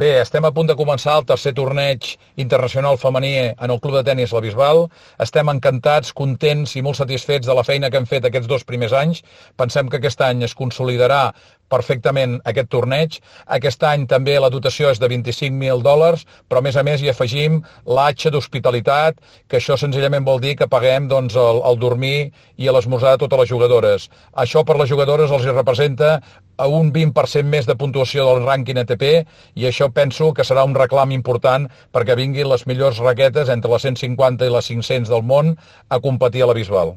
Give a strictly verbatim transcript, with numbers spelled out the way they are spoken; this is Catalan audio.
Bé, estem a punt de començar el tercer torneig internacional femení en el Club de Tenis La Bisbal. Estem encantats, contents i molt satisfets de la feina que hem fet aquests dos primers anys. Pensem que aquest any es consolidarà perfectament aquest torneig. Aquest any també la dotació és de vint-i-cinc mil dòlars, però a més a més hi afegim l'atxa d'hospitalitat, que això senzillament vol dir que paguem doncs, el, el dormir i l'esmorzar de totes les jugadores. Això per les jugadores els hi representa a un vint per cent més de puntuació del rànquing A T P i això penso que serà un reclam important perquè vinguin les millors raquetes entre les cent cinquanta i les cinc-cents del món a competir a la Bisbal.